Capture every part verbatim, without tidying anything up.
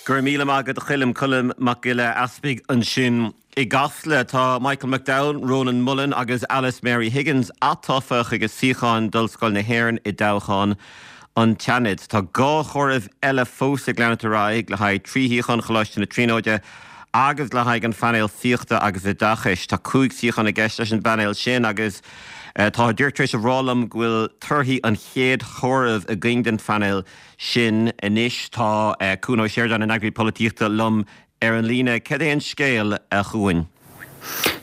Go raibh míle maith agat a Choilm Colm Mac Giolla Easpaig ansin i gCasla tá Michael McDowell, Ronan Mullen agus Alice Mary Higgins atofa chuig a suíocháin d'Ollscoil na hÉireann i dtoghchán an tSeanaid. Tá dhá chomhaireamh eile fós ag leanacht ar aghaidh le haghaidh trí shuíochán Choláiste na Tríonóide agus le haghaidh an phainéil saíochta agus oideachais. Tá cúig suíochán i gceist leis an bpainéal sin agus uh, tá díreach tar éis a rá liom go bhfuil torthaí an chéad chomhaireamh againn den phainéal sin anois tá uh, Cuan Ó Seireadáin an eagraí polaitíochta liom ar an líne cad é an scéal a Chuain.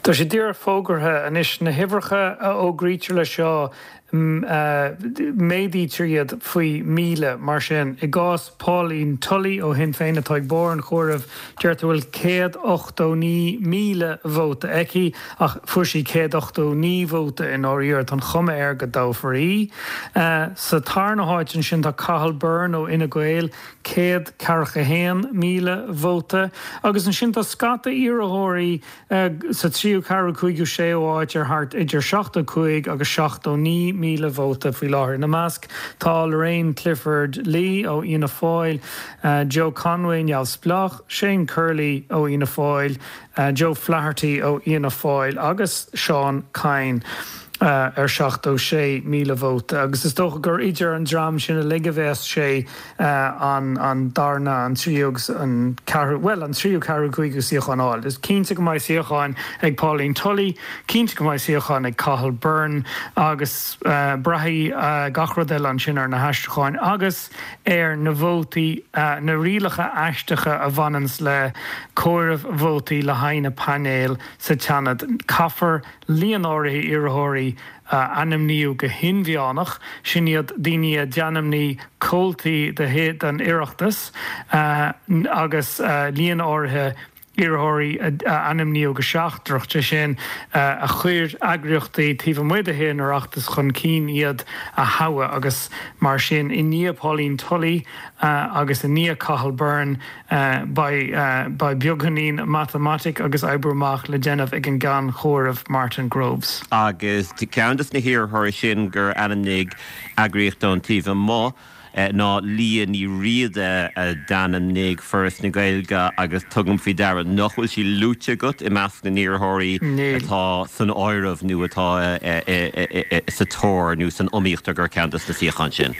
Tá sé díreach fógartha anois na huimhreacha a fhógraítear le seo méadaítear iad faoi míle mar sin i gcás Pauline Tully ó Shinn Féin atá ag barr an chomhairimh deirtear bhfuil céad ochtó naoi míle vóta aici ach fuair sí céad ochtó naoi vóta in áirír an chuma air go dtoghfar í. Uh, sa tarna háit ansin tá Cathal Byrne ó Fhine Gael céad ceathracha haon míle vóta, agus ansin tá scata iarrthóirí uh, sa tríú ceathrú cúigiú séú háit ar thart idir seachtó cúig agus seachtó naoi míle vóta faoi láthair. Ina measc tá Lorraine Clifford Lee ó Fhianna Fáil, uh, Joe Conway neamhspleách, Shane Curley ó Fhianna Fáil, uh, Joe Flaherty ó Fhianna Fáil agus Seán Kyne. Uh, ar seachtó sé míle vóta agus is dócha gur idir an dream sin uilig a bheas sé uh, an, an darna an tríú agus an ceathrú well an tríú ceathrú cúigiú suíochán fháil. Is cinnte go mbeidh suíochán ag Pauline Tully, cinnte go mbeidh suíochán ag Cathal Byrne agus uh, braithfidh uh, gach rud eile ansin ar na haistriúcháin agus ar na vótaí uh, na rialacha aisteacha a bhaineanns le comhaireamh vótaí le haghaidh na painéil sa tSeanad. Caithfear líon áirithe iarrthóirí uh, ainmniú go hinmheánach sin iad daoine a d'ainmnigh comhaltaí de den Oireachtas uh, agus uh, líon áirithe iarrthóirí a ainmníodh go seachtrach sé sin a chuir eagraíochtaí taobh amuigh den Oireachtas chun cinn iad a thoghadh agus mar sin i ndiaidh Pauline Tully agus i ndiaidh Cathal Byrne beidh beagáinín matamaitic agus oibriú amach le déanamh ag an gceann comhairimh Martin Groves. Agus ceann de na hiarrthóirí sin gur ainmnigh eagraíocht ón taobh amuigh. ná Liadh Ní Riada a d'ainmnigh Foras na Gaeilge agus tugaim faoi deara nach bhfuil sí luaite agat i measc na n-iarrthóirí atá san áireamh nó atá sa tóir nó san iomaíocht gur ceann de na suíocháin sin.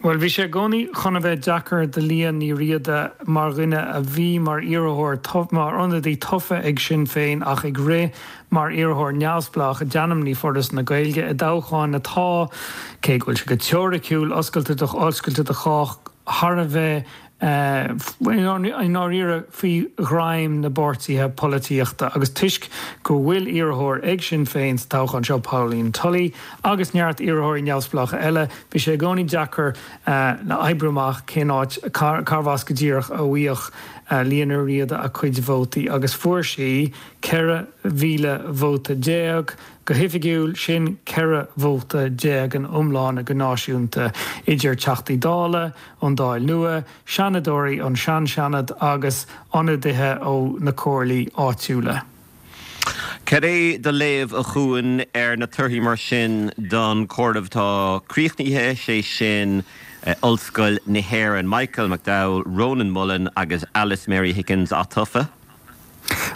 Well bhí sé i gcónaí chun a bheith deacair do Liadh Ní Riada mar dhuine a bhí mar iarrthóir mar ionadaí tofa ag Sinn Féin ach ag rith mar iarrthóir neamhspleách a d'ainmnigh Foras na Gaeilge i dtoghchán atá cé go bhfuil sé go teoiriciúil oscailte do oscailte do chách thar a bheith i ndáiríre faoi ghreim na bpáirtithe polaitíochta agus toisc go bhfuil iarrthóir ag Sinn Féin sa toghchán seo Pauline Tully agus neart iarrthóirí neamhspleácha eile, bhí sé i gcónaí deacair le oibriú amach cén áit cárbh as go díreach a bhfaigheadh Liadh Ní Riada a cuid vótaí agus fuair sí ceithre mhíle vóta déag go hoifigiúil sin ceithre vóta déag in iomlán go náisiúnta idir Teachtaí Dála ón Dáil nua, Seanadóirí ón sean-Seanad agus ionadaithe ó na comhairlí áitiúla. Cad é do léamh a Chuain ar na torthaí mar sin don chomhaireamh atá críochnaithe sé sin Ollscoil na hÉireann Michael McDowell, Ronan Mullen agus Alice Mary Higgins atofa?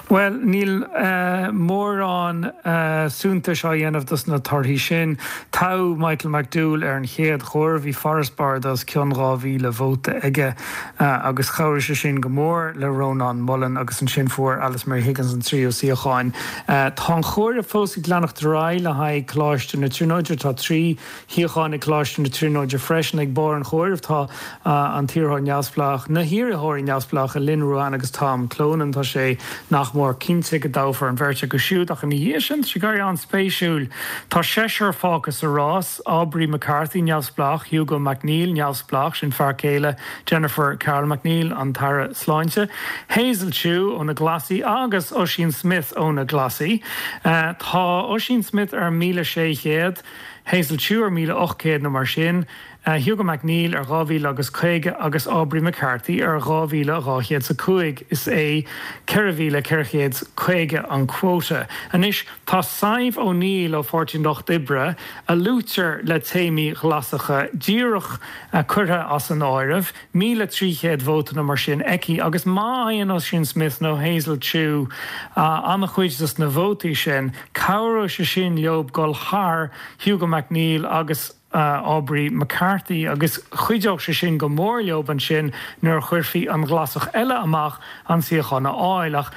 Well níl uh, mórán uh, suntais á dhéanamh dos na torthaí sin. Tá Michael McDowell ar an chéad chomhaireamh bhí farasbarr os cionn dhá mhíle vóta aige uh, agus chabhraigh sé sin go mór le Ronan Mullen agus ansin fuair Alice Mary Higgins an tríú suíochán. Uh, tá an comhaireamh fós ag leanacht ar aghaidh le haghaidh Coláiste na Tríonóide tá trí shuíochán ag Coláiste na Tríonóide freisin ag barr an chomhairimh tá uh, an t-iarrthóir neamhspleách na hiarrthóirí neamhspleácha Lynn Ruane agus Tom Clonan tá sé nach mór cinnte go dtoghfar an bheirt acu siúd ach ina dhiaidh sin sé gar an-spéisiúil. Tá seisear fágtha sa rás Aubrey McCarthy neamhspleách Hugo McNeill neamhspleách sin fear céile Jennifer Carroll MacNeill an tAire Sláinte, Hazel Chu ó na Glasaigh agus Ossian Smyth ó na Glasaigh. Uh, tá Ossian Smyth ar míle sé chéad. Hazel Chu ar míle ocht gcéad nó mar sin, Hugo MacNeill ar dhá mhíle agus caoga agus Aubrey McCarthy ar dhá mhíle dhá chéad is a cúig. Is é ceithre mhíle ceithre chéad is caoga an quota. Anois, tá Sadhbh O'Neill ó Pháirtí an Lucht Oibre, a luaitear le téamaí Ghlasacha, díreach curtha as an áireamh, míle trí chéad vóta nó mar sin aici, agus má fhaigheann Ossian Smyth nó Hazel Chu an-chuid des na vótaí sin, cabhróidh sé sin leo dul thar Hugo MacNeill agus Aubrey McCarthy agus chuideodh sé sin go mór leo ansin nuair a chuirfí an Glasach eile amach an suíochán a fháil. Ach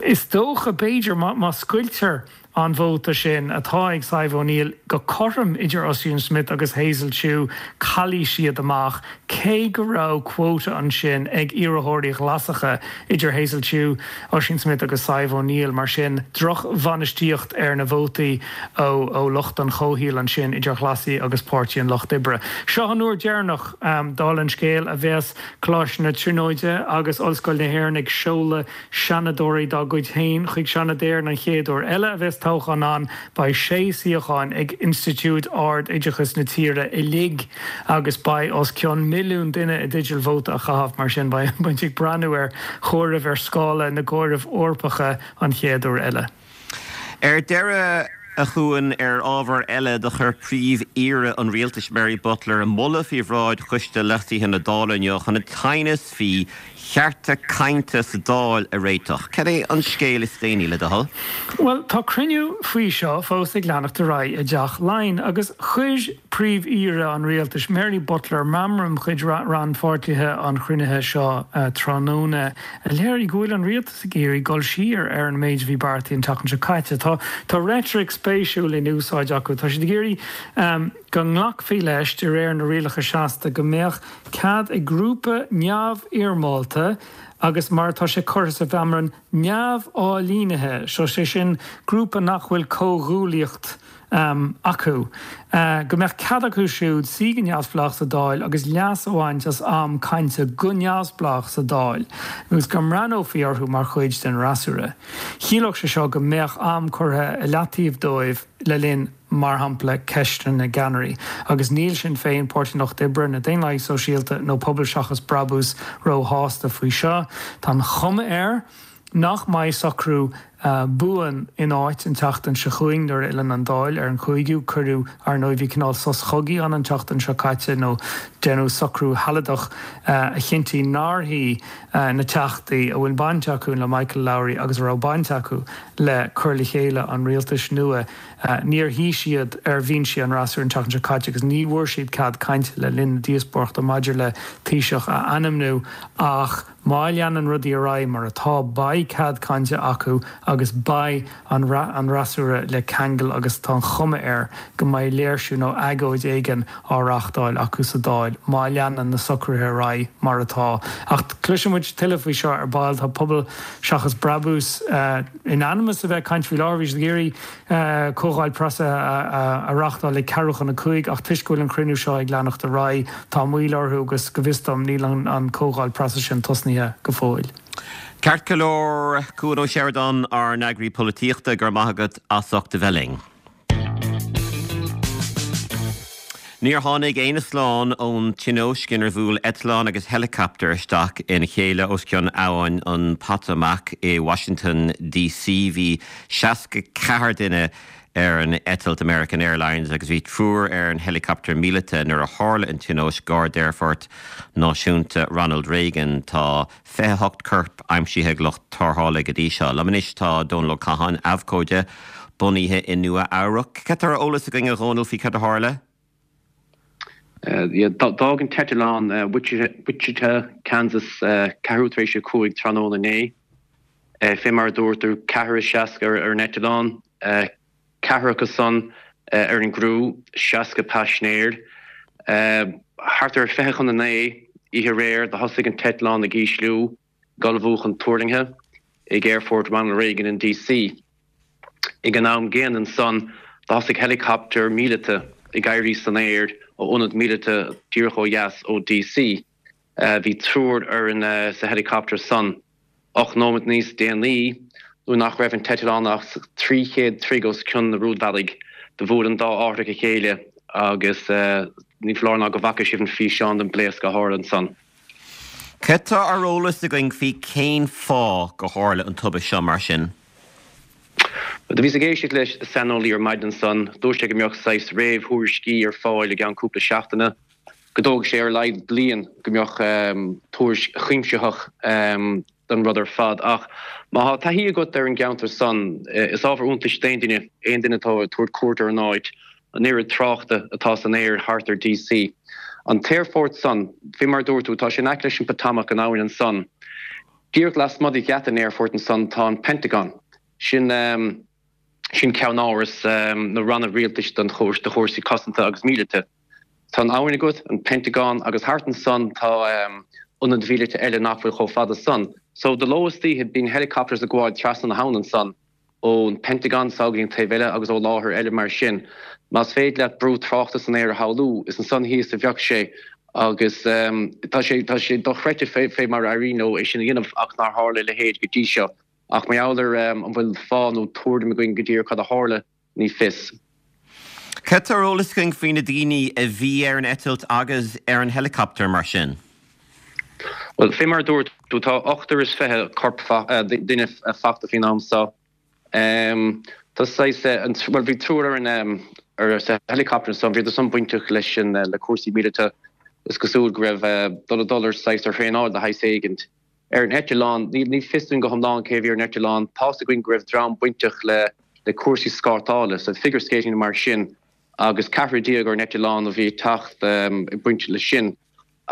is dócha, b'fhéidir, má scoiltear an vóta sin atá ag Sadhbh O'Neill go cothrom idir Ossian Smyth agus Hazel Chu, caillfidh siad amach, cé go raibh quota ansin ag iarrthóirí Ghlasacha idir Hazel Chu, Ossian Smyth agus Sadhbh O'Neill. Mar sin, drochbhainistíocht ar na vótaí ó ó lucht an chomhshaoil ansin idir Ghlasaigh agus Páirtí an Lucht Oibre. Seo an uair dheireanach, dála an scéil, a bheas Coláiste na Tríonóide agus Ollscoil na hÉireann ag seoladh seanadóirí dá gcuid féin chuig Seanad Éireann. An chéad uair eile a bheas toghchán ann, beidh sé suíochán ag institiúid ard-oideachais na tíre uilig agus beidh os cionn milliún duine i dteideal vóta a chaitheamh. Mar sin, beidh muid ag breathnú ar chomhaireamh ar scála na gcomhaireamh Eorpacha an chéad uair eile. Ar deireadh, a Chuain, ar ábhar eile, do chuir Príomh-Aoire an Rialtais Mary Butler moladh faoi bhráid Choiste Leasaithe na Dála inniu chun an t-aighneas faoi chearta cainte sa Dáil a réiteach. Cad é an scéal is déanaí, le do thoil? Bhuel, tá cruinniú faoi seo fós ag leanacht ar aghaidh i dTeach Laighean agus chuir Príomh-Aoire an Rialtais, Mary Butler, meamram chuig rannpháirtithe an chruinnithe seo tráthnóna a léirigh go bhfuil an rialtas ag iarraidh dul siar ar an méid a bhí beartaithe an tseachtain seo caite. Tá tá reitric spéisiúil in úsáid acu. Tá siad ag iarraidh go nglacfaí leis, de réir na rialacha seasta, go mbeadh cead ag grúpa neamhfhoirmeálta agus, mar atá sé curtha sa mheamram, neamh-ailínithe, so sé sin grúpa nach bhfuil comhghuaillíocht acu, go mbeadh cead acu siúd suí go neamhspleách sa Dáil agus leas a bhaint as am cainte go neamhspleách sa Dáil agus go mbreathnófaí orthu mar chuid den fhreasúra. Chiallódh sé seo go mbeadh am curtha i leataobh dóibh le linn, mar shampla, ceisteanna na gceannairí. Agus níl Sinn Féin, Páirtí an Lucht Oibre, na Daonlathaigh Sóisialta nó Pobal Seachas Brabús róshásta faoi seo. Tá an chuma air nach mbeidh socrú buan in áit an tseachtain seo chugainn nuair a fhilleann an Dáil ar an chúigiú. Cuireadh, ar ndóigh, bhí cineál sos chogaidh ann an tseachtain seo caite nó déanadh socrú shealadach a chinntigh nár shuigh na Teachtaí a bhfuil baint acu le Michael Lowry agus a raibh baint acu le cur le chéile an rialtais nua. Níor shuigh siad ar bhinsí an fhreasúra an tseachtain seo caite agus ní bhfuair siad cead cainte le linn na díospóireachta maidir le Taoiseach a ainmniú ach má leanann rudaí ar aghaidh mar atá beidh cead cainte acu agus beidh an fhreasúra le ceangal agus tá an chuma air go mbeidh léirsiú nó agóid éigin á reáchtáil acu sa Dáil má leanann na socruithe ar aghaidh mar atá. Ach cloisfidh muid tuilleadh faoi seo ar ball. Tá Pobal Seachas Brabús in ainm is a bheith ag caint faoi láthair. Bhí siad ag iarraidh comhdháil preasa a reáchtáil ag ceathrú chun a cúig ach toisc go bhfuil an cruinniú seo ag leanacht ar aghaidh, tá moill orthu agus go bhfios dom níl an comhdháil preasa sin tosnaithe go fóill. Ceart go leor, Cuan Ó Seireadáin, ár n-eagraí polaitíochta, go raibh maith agat as ucht a bheith linn. Níor tháinig éinne slán ón tionóisc inar bhuail eitleán agus heileacaptar isteach ina chéile os cionn abhainn an Potomac i Washington DC. Bhí seasca ceathair duine ar an eitilt American Airlines agus bhí triúr ar an heileacaptar míleata nuair a tharla an tionóisc gar d'aerfort náisiúnta Ronald Reagan. Tá fiche a hocht corp aimsithe ag lucht tarrthála go dtí seo. Liom anois tá Dónal Ó Catháin, abhcóide bunaithe i Nua Eabhrac. Cad tá ar eolas againn a Dhónaill faoi cad a tharla? D'fhág an t-eitleán Wichita, Kansas ceathrú tar éis a cúig tráthnóna inné. Fé mar a dúirt tú, ceathrar is seasca ar an eitleán. Ceathrar acu san ar an gcriú, seasca paisinéir. Thart ar fiche chun a naoi oíche aréir do thosaigh an t-eitleán ag ísliú, ag ullmhú chun tuirlingthe ag Aerfort Ronald Reagan in D.C. Ag an am gcéanna ansan do thosaigh helicopter míleata ag éirí san aer ó ionad míleata díreach ó dheas ó D.C. Bhí triúr ar an sa helicopter san. Ocht nóiméad níos déanaí, nuair nach raibh an t-eitleán ach trí chéad troigh os cionn na rúidbhealaigh, Do bhuail an dá árthach a chéile agus ní foláir ná go bhfaca sibh an físeán den bpléasc a tharla ansan. Cad tá ar eolas againn faoi cén fáth go tharla an tubaiste seo mar sin? Do bhíos ag éisteacht le saineolaí ar maidin ansan, dúirt sé go mbeadh saghas réamhthuairiscí ar fáil i gceann cúpla seachtaine, go dtógfaidh sé ar a laghad bliain go mbeadh tuairisc chuimsitheach den rud ar fad. Ach má tá taithí agat ar an gceantar san, is ábhar iontais d'aon duine, aon duine atá ag tabhairt cuairt ar an áit, an oiread tráchta atá san aer thart ar DC. An t-aerfort san, fé mar a dúirt tú, tá sé in aice leis an Potomac, an abhainn ansan. Díreach lasmuigh de gheata an aerfoirt ansan tá an Pentagon. Sin sin ceannáras na ranna rialtais don do chúrsaí cosanta agus míleata. Tá an abhainn agat, an Pentagon, agus thart ansan tá ionaid mhíleata eile nach bhfuil chomh fada san. So de ló is d'oíche bíonn helicopters ag gabháil trasna na habhann ansan ón Pentagon go dtí an taobh eile agus ó láthair eile mar sin. Más féidir leat brú tráchta san aer a shamhlú, is ansan thíos a bheadh sé agus tá sé tá sé dochreidte fé fé mar a éiríonn leo é sin a dhéanamh ach nár tharla a leithéid go dtí seo. Ach mar gheall ar an bhfuil fáth nó tuairim againn go díreach cad a tharla, ní fios. Cad tá ar eolas againn faoi na daoine a bhí ar an eitilt agus ar an helicopter mar sin? Bhuel, fé mar a dúirt tú, tá ochtar is fiche corp duine fachta faoin am seo. Tá saghas, bhuel bhí triúr ar an ar sa helicopter ansan, bhíodar san bainteach leis an le cúrsaí míleata. Is cosúil go raibh dul dul ar saghas ar thraenáil de shaghas éigint. Ar an eitleán, ní fios dúinn go hiomlán cé a bhí ar an eitleán, tá's againn go raibh dream bainteach le le cúrsaí scátála, so figure skating mar sin, agus ceathrar déag ar an eitleán a bhí ag teacht ag baint leis sin.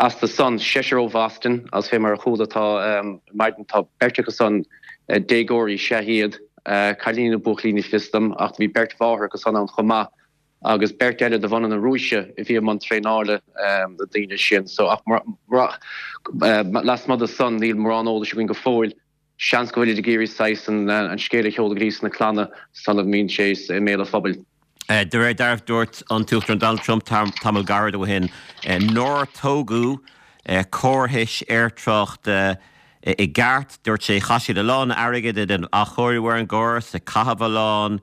Astu san, seisear ó Bhoston, agus fé mar a chuala tá maidin tá beirt acu san déagóirí is ea iad, cailíní nó buachaillí ní fios dom, ach bhí beirt mháthair acu san ann chomh maith. agus beirt eile de bhunadh na Rúise a bhí i mbun traenála na daoine sin. So ach lasmuigh de san níl mórán eolais againn go fóill. Seans go bhfuilid ag iarraidh saghas an scéal a sheoladh go dtí sna clanna sula mbíonn sé i mbéal an phobail. De réir dealraimh dúirt an tUachtarán Donald Trump tamall gairid ó shin nár tógadh córais aertráchta i gceart. Dúirt sé chaith siad a lán airgid ag déanamh athchóiriú ar an gcóras, ag caitheamh a lán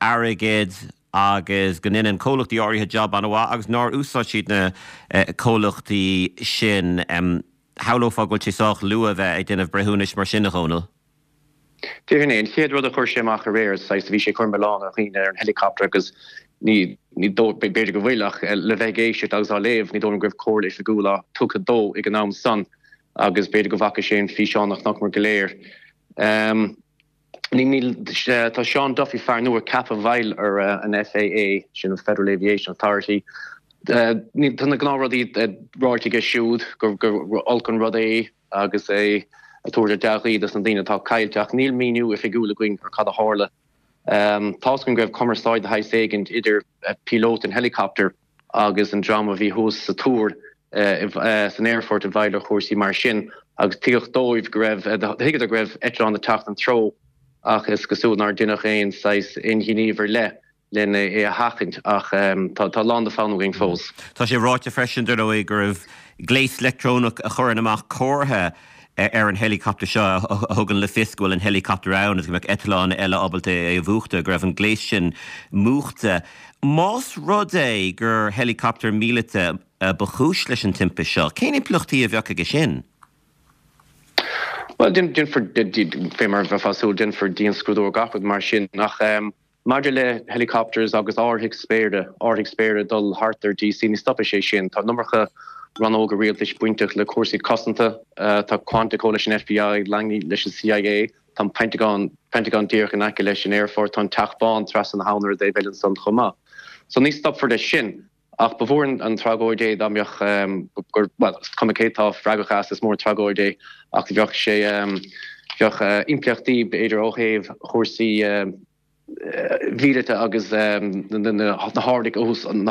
airgid agus go ndéanann comhlachtaí áirithe jab an-mhaith agus nár úsáid siad na comhlachtaí sin. Shamhlófá go bhfuil sé sách luath a bheith ag déanamh breithiúnais mar sin, a Dhónaill. Déarfainn é. An chéad rud a chuir sé amach aréir, saghas, bhí sé ag cur milleán ar dhaoine ar an helicopter agus ní, ní dóigh, b'fhéidir go bhfuil ach le bheith ag éisteacht agus á léamh, ní dóigh liom go raibh comhairle oifigiúil á tugtha dó ag an am san agus b'fhéidir go bhfaca sé an físeán a chonaiceamar go léir. Ní, níl, tá Sean Duffy, fear nua ceaptha i bhfeighil ar an FAA, sin an Federal Aviation Authority, ní, tá na gnáthrudaí ráite aige siúd gur, gur olc an rud é agus é ag tabhairt a dea-ghuí dos na daoine atá caillte ach níl míniú oifigiúil againn ar cad a tharla. Tá's againn go raibh cumarsáid de shaghas éigint idir píolóta an helicopter agus an dream a bhí thuas sa túr san aerfort i bhfeighil ar chúrsaí mar sin agus tuigeadh dóibh go raibh, thuigeadar go raibh eitleán ag teacht ina dtreo ach is cosúil nár deineadh aon saghas, aon ghníomh ar leith lena é a sheachaint ach tá a lán le foghlaim againn fós. Tá sé ráite freisin, dar ndóigh, go raibh gléas leictreonach a chuireann amach comhartha ar an helicopter seo a thugann le fios go bhfuil an helicopter ann agus go mbeadh eitleán eile ábalta é a mhúchadh, go raibh an gléas sin múchta. Más rud é gur helicopter míleata ba chúis leis an timpiste seo, cén impleachtaí a bheadh aige sin? Bhuel, déanfar, fé mar a bheifeá ag súil, déanfar dianscrúdú ar gach rud mar sin ach maidir le helicopters agus árthaigh spéire, árthaigh spéire ag dul thart ar DC, ní stopfaidh sé sin. Tá an iomarca rannóga rialtais bainteach le cúrsaí cosanta, tá Quantico leis an FBI, Langley leis an CIA, tá an Pentagon, Pentagon díreach in aice leis an aerfort, tá an Teach Bán trasna na habhann ar an dtaobh eile ansan chomh maith. So ní stopfar leis sin. Ach ba mhór an tragóid é dá mbeadh, gur, bhuel, is cuma cé tá freagrach as, is mór an tragóid é ach bheadh sé, bheadh impleachtaí b'fhéidir ó thaobh chúrsaí mhíleata agus na hárthaigh, an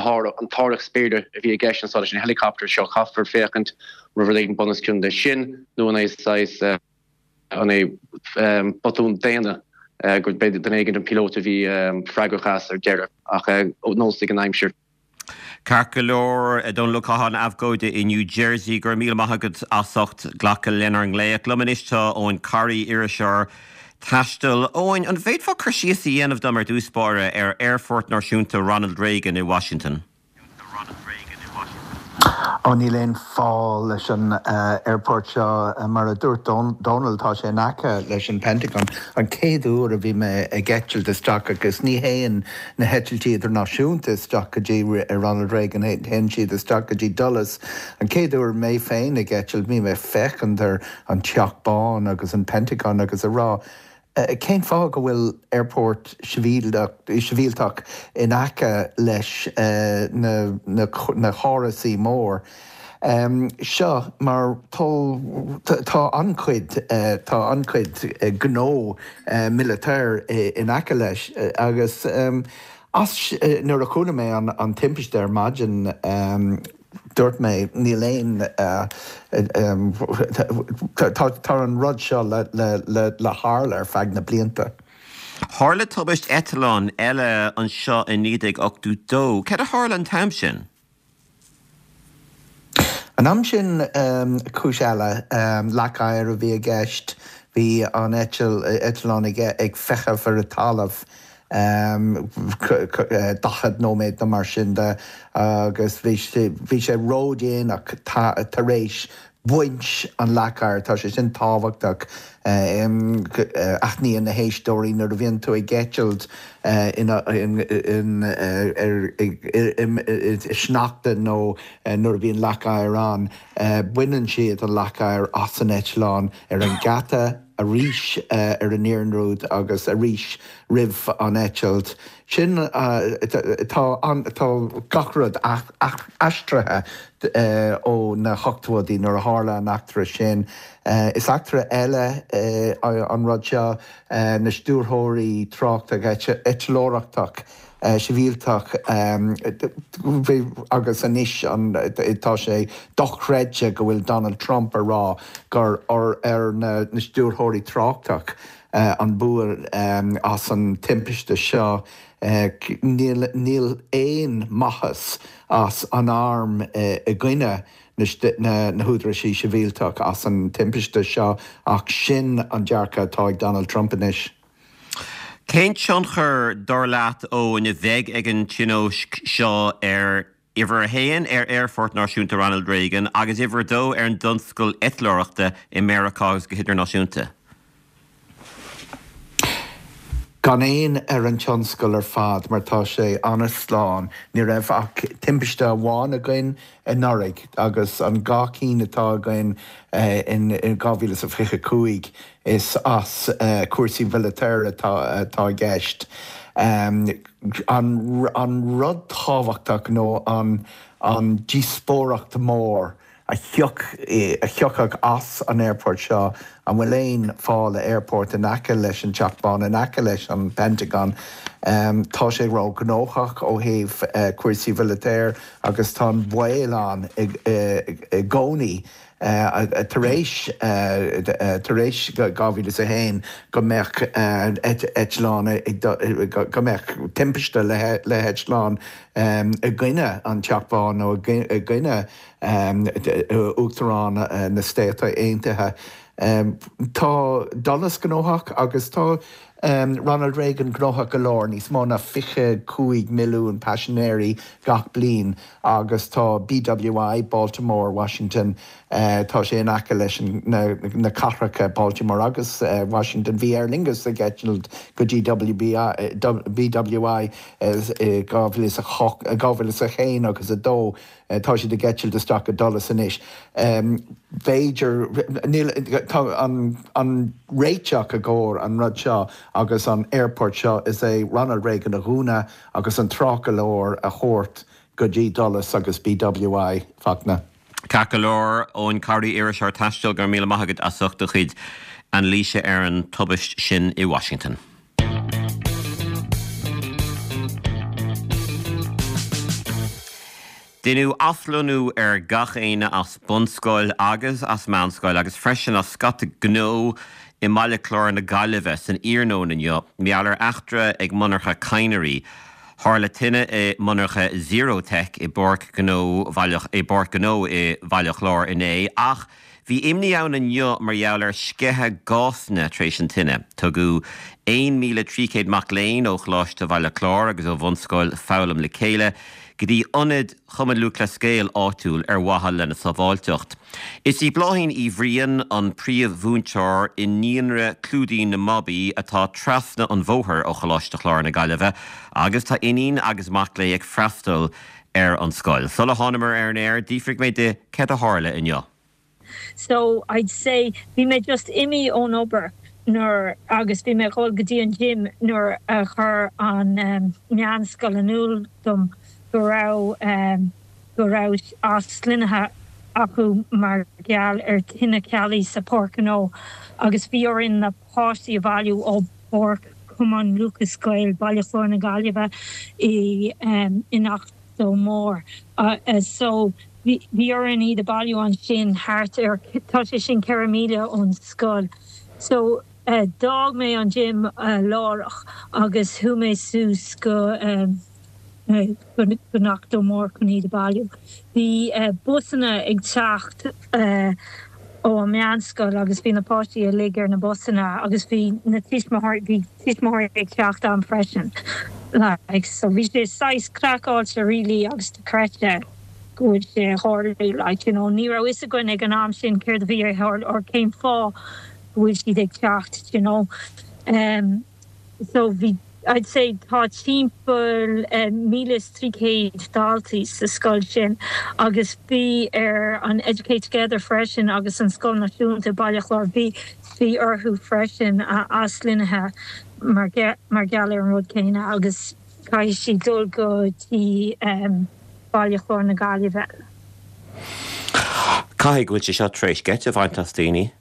t-árthach spéire a bhí i gceist anso leis an helicopter seo, caithfear féachaint an raibh rud éigin bunoscionn leis sin nó an é saghas, an é botún daonna gur duine éigin an píolóta a bhí freagrach as ar deireadh ach nós ag an aimsir. Ceart go leor, a Dhónaill Ó Catháin, abhcóide i New Jersey, go raibh míle maith agat as ucht glacadh lenár nglaoch. Liom anois tá Eoin Corry, iriseoir taistil. Eoin, an bhféadfá cur síos a dhéanamh dom ar dtús báire ar Aerfort Náisiúnta Ronald Reagan i Washington? Ó níl aon fáil leis an airport seo mar a dúirt Donald tá sé in aice leis an Pentagon. An chéad uair a bhí mé ag eitilt isteach agus ní théann na heitiltí idirnáisiúnta isteach go dtí Ronald Reagan théann siad isteach go dtí Dulles. An chéad uair mé féin ag eitilt bhí mé féachaint ar an Teach Bán agus an Pentagon agus a rá. Cén fáth go bhfuil airport sibhialtach in aice leis na na hárasaí mór seo mar tá an-chuid tá an-chuid gnó military in aice leis agus as nuair a chuala mé an an timpiste ar maidin dúirt mé níl aon tá an rud seo le le le tharla ar feadh na blianta. Tharla tubaist eitleáin eile anseo i naoi déag ochtó dó. Cad a tharla an t-am sin? An am sin cúis eile leac oighir a bhí i gceist, bhí an eitleán ag feitheamh ar an talamh daichead nóiméad nó mar sin de agus bhí bhí sé ródhéanach tar éis baint an leac oighir, tá sé sin tábhachtach aithníonn na héisteoirí nuair a bhíonn tú ag eitilt in sneachta nó nuair a bhíonn leac oighir ann, baineann siad an leac oighir as an eitleán ar an geata arís ar an iarnród agus arís roimh an eitilt. Sin tá tá gach rud aistrithe ó na hochtóidí nuair a tharla an eachtra sin. Is eachtra eile an rud seo na stiúrthóirí tráchta eitleoireachtach sibhialtach agus anois tá sé dochreidte go bhfuil Donald Trump a rá gur ar na stiúrthóirí tráchtach an bua as an timpiste seo. Níl níl aon maitheas as an arm i gcoinne na na húdaráis sibhialtach as an timpiste seo ach sin an dearcadh atá ag Donald Trump anois. Cén tionchar dar leat Eoin a bheidh ag an tionóisc seo ar uimhir a haon ar Aerfort Náisiúnta Ronald Reagan agus uimhir a dó ar an dtionscal eitleoireachta i Meiriceá agus go hidirnáisiúnta? Gan aon ar an tionscal ar fad mar tá sé an-slán, ní raibh ach timpiste amháin againn anuraidh agus an dhá cinn atá againn in dhá mhíle is a fiche cúig is as cúrsaí military atá atá i gceist. An an rud tábhachtach nó an an díospóireacht mór a thiocfadh as an airport seo, an bhfuil aon fáth le airport in aice leis an Teach Bán, in aice leis an Pentagon. Tá sé róghnóthach ó thaobh cúrsaí military agus tá an baol ann i gcónaí tar éis tar éis dhá mhíle is a haon go mbeadh eitleán go mbeadh timpiste le heitleán i gcoinne an Teach Bán nó i gcoinne Uachtarán na Stát Aontaithe. Tá Dulles gnóthach agus tá Ronald Reagan gnóthach go leor, níos mó ná fiche cúig milliún paisinéirí gach bliain agus tá BWI, Baltimore, Washington, tá sé in aice leis na cathracha Baltimore agus Washington. Bhí Aer Lingus ag eitilt go dtí BWI i dhá mhíle is a hocht, dhá mhíle is a haon agus a dó. Tá siad ag eitilt isteach go Dulles anois. B'fhéidir, níl, tá an an réiteach i gcomhair an rud seo agus an airport seo is é Ronald Reagan a dhúnadh agus an trácht go leor a thabhairt go dtí Dulles agus BWI, Fachtna. Ceart go leor, Eoin Corry, iriseoir taistil, go raibh míle maith agat as ucht do chuid anailíse ar an tubaist sin i Washington. Deineadh athlonnú ar gach éinne as bunscoil agus as meánscoil agus freisin as scata gnó i mBaile Chláir na Gaillimhe san iarnóin inniu mar gheall ar eachtra ag monarcha Cadhnraí. Tharla tine i monarcha Zerotech i bPáirc Ghnó i bPáirc Ghnó i Bhaile Chláir inné ach Bhí imní ann inniu mar gheall ar sceitheadh gásanna tar éis an tine. Tugadh aon míle trí chéad mac léinn ó Choláiste Bhaile Chláir agus ó Bhunscoil Foghlaim le Chéile go dtí ionad Chumann Lúthchleas Gael áitiúil ar mhaithe lena sábháilteacht. Is í Bláithín Uí Bhriain an príomh-mhúinteoir i Naíonra Clúidín na mBabaí atá trasna an bhóthair ó Choláiste Chláir na Gaillimhe agus tá iníon agus mac léi ag freastal ar an scoil. Sula thánamar ar an aer, d'fhiafraigh mé di céard a tharla inniu. So I'd say bhí mé just imithe ón obair nuair agus bhí mé ag dul go dtí an gym nuair a chuir an um, meánscoil in iúl dom go raibh um, go raibh aslonnaithe acu mar gheall ar tine ceallaí sa Páirc Ghnó agus bhí orainn na páistí a bhailiú ó Pháirc Cumann Lúthchleas Gael Baile Chláir na Gaillimhe i um, in Achadh Mór. Uh, uh, so bhí orainn iad a bhailiú ansin thart ar tá sé sin ceithre míle ón scoil. So uh, d'fhág mé an gym uh, láithreach agus chuaigh mé suas go um, uh, go Achadh Mór chun iad a bhailiú. Bhí uh, busanna ag teacht uh, ó an meánscoil agus bhí na páistí uilig ar na busanna agus bhí na tuismitheoirí bhí tuismitheoirí ag teacht ann freisin. Like, so bhí sé saghas craiceáilte really agus dochreidte go bhfuil sé ag tarlú like, you know, ní raibh fhios againn ag an am sin céard a bhí ag tarlú or cén fáth go bhfuil siad ag teacht you know. Um, so bhí I'd say tá timpeall uh, míle trí chéad daltaí sa scoil sin agus bhí ar an Educate Together freisin agus an Scoil Náisiúnta Baile Chláir bhí bhí orthu freisin uh, aslonnaithe mar mar gheall ar an rud céanna agus caithfidh siad dul go dtí um, Baile Chláir na Gaillimhe. Caithfidh go bhfuil sé seo tar éis geit a bhaint as daoine?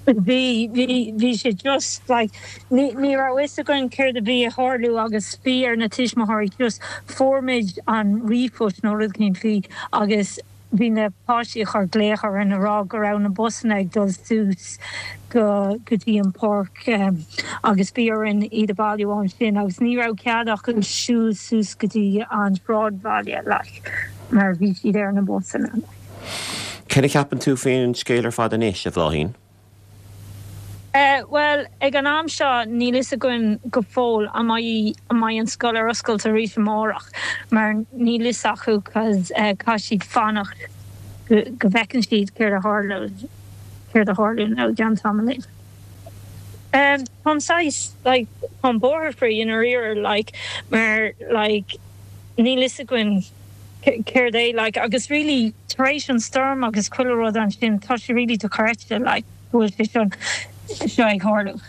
Bhí bhí bhí sé just like ní ní raibh fhios againn céard a bhí ag tarlú agus bhí ar na tuismitheoirí just fuair muid an ríomhphost nó rud éigin faoi agus bhí na páistí ag cur glaoch orainn ag rá go raibh na busanna ag dul suas go go dtí an páirc um, agus bhí orainn iad a bhailiú ansin agus ní raibh cead acu siúl suas go dtí an sráidbhaile like, mar bhí siad ar na busanna. Céard a cheapann tú faoin scéal ar fad anois a Bhláithín? Uh, well ag an am seo níl fhios againn go fóill an mbeidh an mbeidh an scoil ar oscailt arís amárach mar níl fhios acu cos uh, caithfidh siad fanacht go, go bhfeiceann siad céard a tharla céard a tharla nó gan tamall. Um, Tá sais like an borthair free in ar like mar like níl fhios againn céard é like agus really tar éis an storm agus chuile rud ansin tá sé really dochreidte like go bhfuil sé sin seo ag tarlú.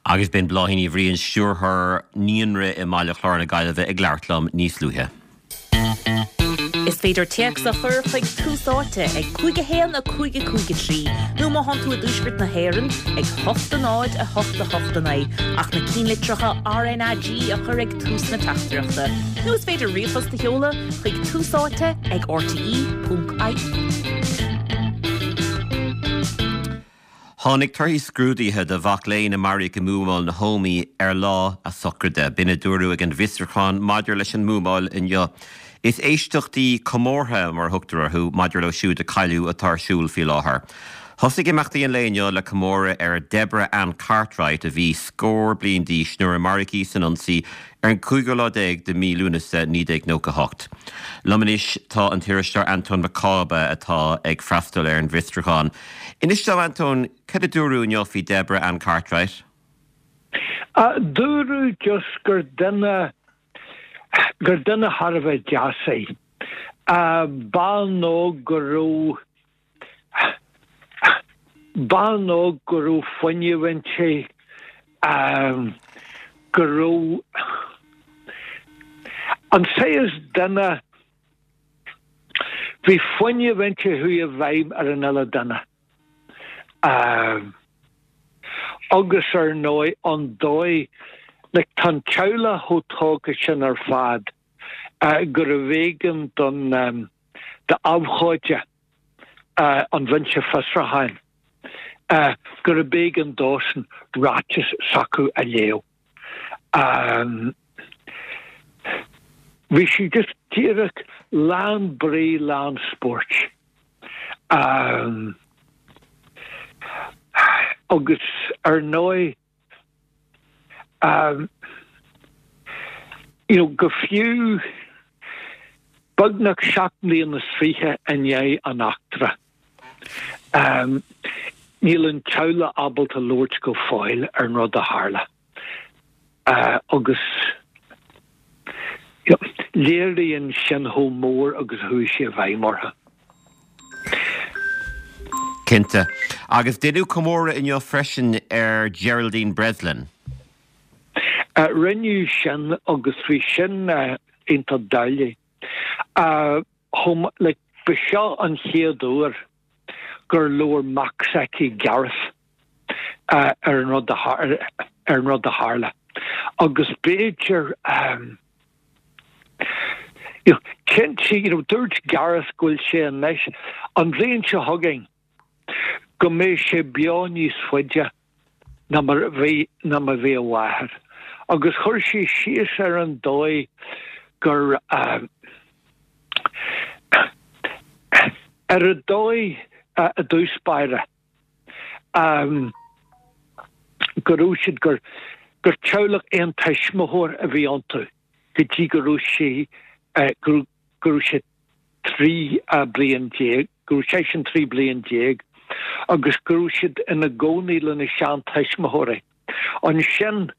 Agus b'in Bláithín Uí Bhriain stiúrthóir naíonra i mBaile Chláir na Gaillimhe ag labhairt liom níos luaithe. Is féidir téacs a chur chuig Tús Áite ag cúig a haon a cúig a cúig a trí, nó má tá tú i dtuaisceart na hÉireann ag hocht a náid a hocht a hocht a naoi ach na ceannlitreacha RnaG a chur ag tús na teachtaireachta. Nó is féidir ríomhphost a sheoladh chuig Tús Áite ag RTE.ie. Tháinig torthaí scrúduithe do mhac léinn a maraíodh i mbuamáil na hÓmaí ar lá a sochraide. B'in a dúradh ag an bhfiosrúchán maidir leis an mbuamáil inniu. Is éisteachtaí comórtha mar a thugtar orthu maidir leo siúd a cailleadh atá ar siúl faoi láthair. Thosaigh imeachtaí an lae inniu le comóradh ar Deborah Ann Cartwright a bhí scór bliain d'aois nuair a maraíodh í san ionsaí ar an cúigiú lá déag de mhí Lúnasa naoi déag nócha hocht. Liom anois tá an t-iriseoir Antóin Mac Cába atá ag freastal ar an bhfiosrúchán. Inis dom Antóin cad a dúradh inniu faoi Deborah Ann Cartwright? Uh, dúradh just gur duine gur duine thar a bheith deas í. Uh, bean óg go raibh bean óg go raibh fuinneamh inti um, go raibh an saghas duine bhí fuinneamh inti a chuaigh i bhfeidhm ar an uile duine. Um, agus ar ndóigh an dóigh le tá an teaghlach chomh tógtha sin ar fad uh, gurbh éigean don um, d'abhcóide uh, an bhinse fiosrúcháin uh, gurbh éigean dósan ráiteas s'acu a léamh. Um, Bhí sí just díreach lán brí lán spóirt. Agus ar ndóigh, you know, go fiú beagnach seacht mbliana is fiche i ndiaidh an eachtra, níl an teaghlach ábalta labhairt go fóill ar an rud a tharla. Agus léiríonn sin chomh mór agus a chuaigh sé i bhfeidhm orthu. Cinnte. Agus deineadh comóradh inniu freisin ar Geraldine Breslin. Rinneadh sin agus bhí sin iontach doiligh. Chomh like ba seo an chéad uair gur labhair mac s'aici Gareth ar an rud a ar an rud a tharla. Agus b'fhéidir you know, cinnte, you know, dúirt Gareth go bhfuil sé anois, an bhliain seo chugainn, go mbeidh sé beo níos faide ná mar a bhí ná mar a bhí a mháthair. Agus chuir sé síos ar an dóigh gur ar an dóigh i dtús báire go raibh siad gur gur teaghlach aon tuismitheoir a bhí iontu go dtí go raibh sé go raibh sé trí bliain déag, go raibh seisean trí bliain déag agus go raibh siad ina gcónaí lena seantuismitheoirí. Ansin,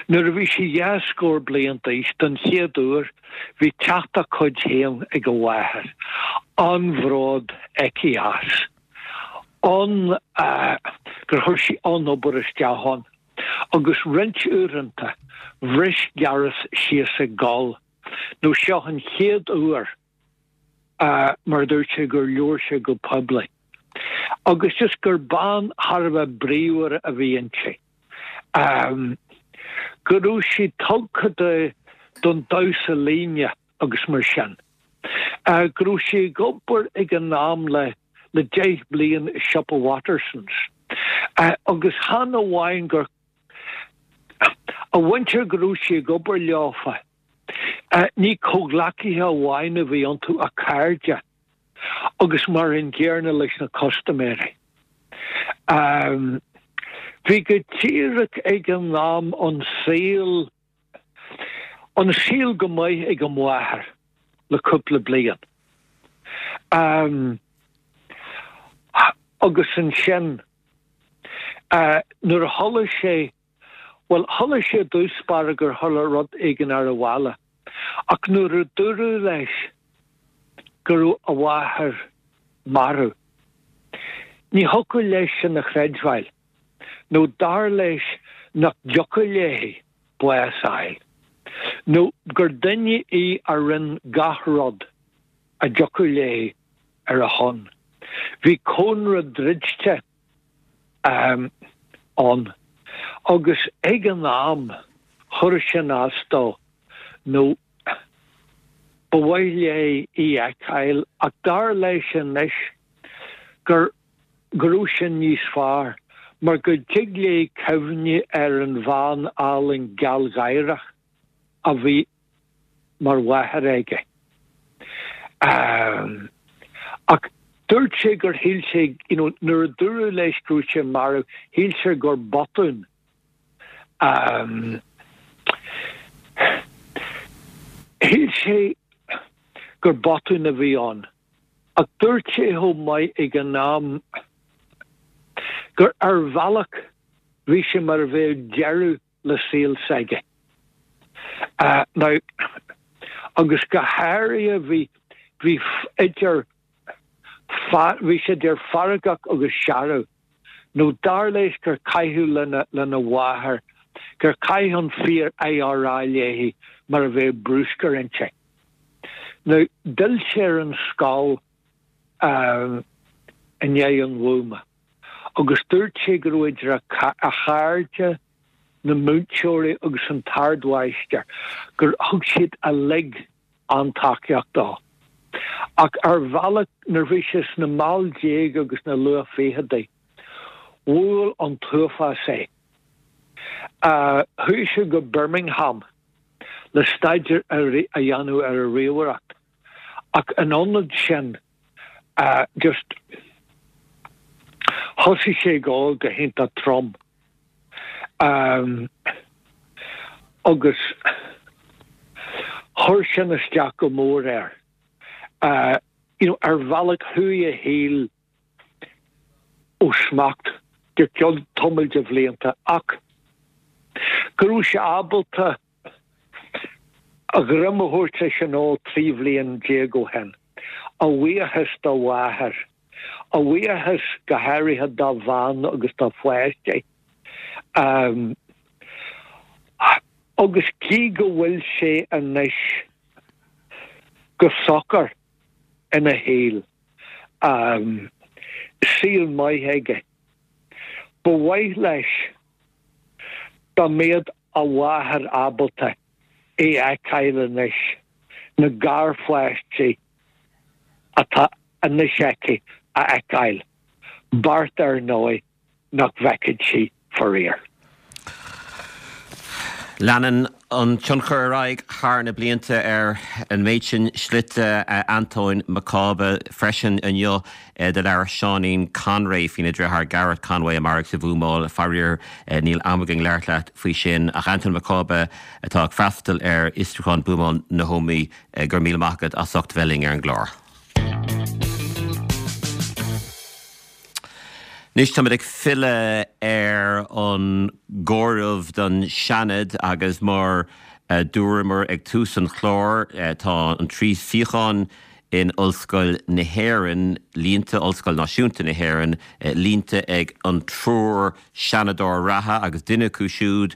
nuair a bhí sé dhá scór bliain d'aois, don chéad uair, bhí teach dá cuid féin ag a mháthair. An-bhród aici as. An, gur chuir sí an-obair isteach ann. Agus roinnt uaireanta, bhris Gareth síos ag gol, nó seo an chéad uair, mar a dúirt sé, gur labhair sé go poiblí. Agus just gur bean thar a bheith bríomhar a bhí inti. Go raibh sí tugtha do don damhsa líne agus mar sin. Go raibh sí ag obair ag an am le le deich bliain i siopa Wattersons. Agus chan amháin gur a mhuintir go raibh sí ag obair leofa, ní comhghleacaithe amháin a bhí iontu ach cairde agus mar an gcéanna leis na custaiméirí. Bhí go díreach ag an am an saol an saol go maith ag an mháthair le cúpla bliain. Agus ansin nuair a chuala sé, bhuel, chuala sé i dtús báire gur tharla rud éigin ar an bhaile, ach nuair a dúradh leis go raibh a mháthair marbh, ní thiocfadh leis sin a chreidbheáil, nó dar leis nach dtiocfadh léi bás a fháil, nó gur duine í a rinne gach rud a dtiocfadh léi ar a shon. Bhí cónra druidte ann agus ag an am chuir sin as dó nó ba mhaith léi í a fheiceáil ach dar leis anois gur go raibh sin níos fearr mar go dtig léi cuimhneamh ar an bhean álainn gealgháireach a bhí mar mháthair aige. Ach dúirt sé gur shíl sé, you know, nuair a dúradh leis go raibh sí marbh, shíl sé gur botún. Shíl sé gur botún a bhí ann. Ach dúirt sé chomh maith ag an am gur ar bhealach bhí sé mar a bheadh deireadh le saol s'aige. Now, agus go háirithe bhí, bhí idir, bhí sé idir feargach agus searbh, nó dar leis gur caitheadh lena, lena mháthair, gur chaith an fíor IRA léi mar a bheadh bruscar inti. Now, d'fhill sé ar an scoil i ndiaidh an bhuama agus dúirt sé go raibh idir a chairde, na múinteoirí agus an t-ardmháistir, gur thug siad uilig an-tacaíocht dó. Ach ar bhealach, nuair a bhí sé sna mall déag agus na luath-fhichidí, bhuail an t-uafás é. Chuaigh sé go Birmingham le staidéar a dhéanamh ar an ríomhaireacht, ach in ionad sin, Just thosaigh sé ag ól go hiontach trom. Agus chuir sin isteach go mór air. You know, ar bhealach chuaigh a shaol ó smacht go ceann tamall de bhlianta ach go raibh sé ábalta a dhroim a thabhairt leis an ól trí bhliain déag ó shin, a bhuíochas dá mháthair, a bhuíochas go háirithe dá bhean agus dá pháistí. Agus gí go bhfuil sé anois go socair ina shaol, saol maith aige, ba mhaith leis dá mbeadh a mháthair ábalta é a fheiceáil anois, na garpháistí atá anois aici a fheiceáil, beirt ar ndóigh nach bhfeicfidh sí faraor. Leanann an tionchar ar aghaidh thar na blianta ar an méid sin slite Antóin Mac Cába freisin inniu do labhair Seáinín Conway faoina dheartháir Gareth Conway a maraíodh sa bhuamáil. Faraor níl am againn labhairt leat faoi sin ach Antóin Mac Cába atá ag freastal ar fhiosrúchán buamáil na hÓmaí, go raibh míle maith agat as ucht bheith linn ar an gclár. Anois táimid ag filleadh ar an gcomhaireamh don Seanad agus mar a dúramar ag tús an chláir tá an trí suíochán in Ollscoil na hÉireann líonta, Ollscoil Náisiúnta na hÉireann líonta ag an triúr Seanadóir reatha agus duine acu siúd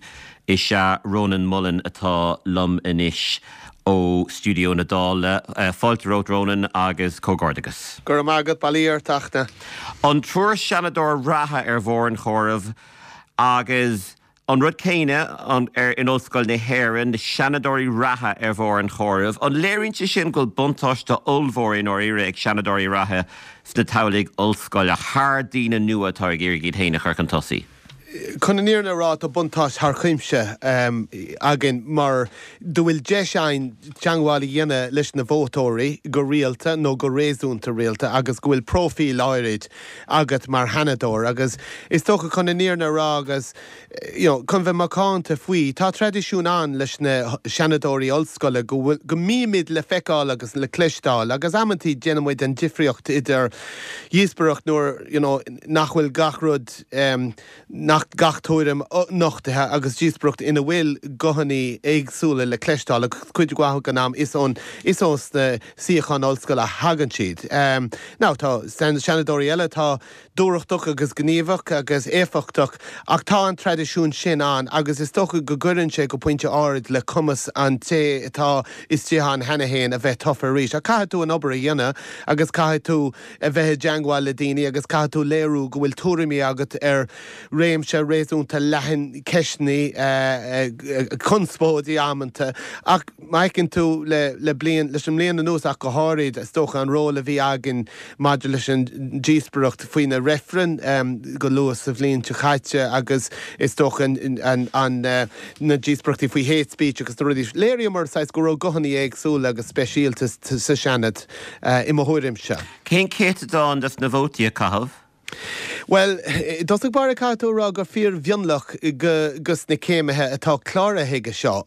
is ea Rónán Mullen atá liom anois ó stiúideo na Dála. Fáilte romhat Rónán agus comhghairdeachas. Go raibh maith agat, bail ó Dhia ort a Fhachtna. An triúr Seanadóir reatha ar bharr an chomhairimh agus an rud céanna in Ollscoil na hÉireann, na Seanadóirí reatha ar bharr an chomhairimh. An léiríonn sé sin go bhfuil buntáiste ollmhór i ndáiríre ag Seanadóirí reatha sna toghlaigh ollscoile thar daoine nua atá ag iarraidh iad féin a chur chun tosaigh? Chun an fhírinne a rá, tá buntáiste thar cuimse againn mar do bhfuil deis againn teangmháil a dhéanamh leis na vótóirí go rialta nó go réasúnta rialta agus go bhfuil próifíl áirid agat mar Sheanadóir agus is dócha chun an fhírinne a rá agus you know chun bheith macánta faoi, tá traidisiún ann leis na Seanadóirí ollscoile go bhfuil, go mbímid le feiceáil agus le cloisteáil agus amantaí déanann muid an difríocht idir dhíospóireacht nuair you know nach bhfuil gach rud nach gach tuairim nochtaithe agus díospóireacht ina bhfuil guthanna éagsúla le cloisteáil agus cuid mhaith den am is ón is ós na suíocháin ollscoile a thagann siad. Now tá seanadóirí eile atá dúthrachtach agus gníomhach agus éifeachtach ach tá an traidisiún sin ann agus is dócha go gcuireann sé go pointe áirid le cumas an té atá istigh ann cheana féin a bheith tofa arís. Ach caithfidh tú an obair a dhéanamh agus caithfidh tú a bheith i dteangmháil le daoine agus caithfidh tú léiriú go bhfuil tuairimí agat ar réimse réasúnta leathan ceisteanna, conspóidí amanta. Ach má fheiceann tú le bliain, leis an mbliain anuas ach go háirid, is dócha an ról a bhí againn maidir leis an díospoireacht faoi na reifrinn go luath sa bhliain seo caite agus is dócha an na díospoireachtaí faoi hate speech agus na rudaí, léiríomar saghas go raibh guthanna éagsúla agus speisialta sa Seanad i mo thuairimse. Cén céatadán des na vótaí a caitheadh? Bhuel, i dtosach báire caithfidh tú a rá gur fíor-mhionlach de na céimithe atá cláraithe chuige seo.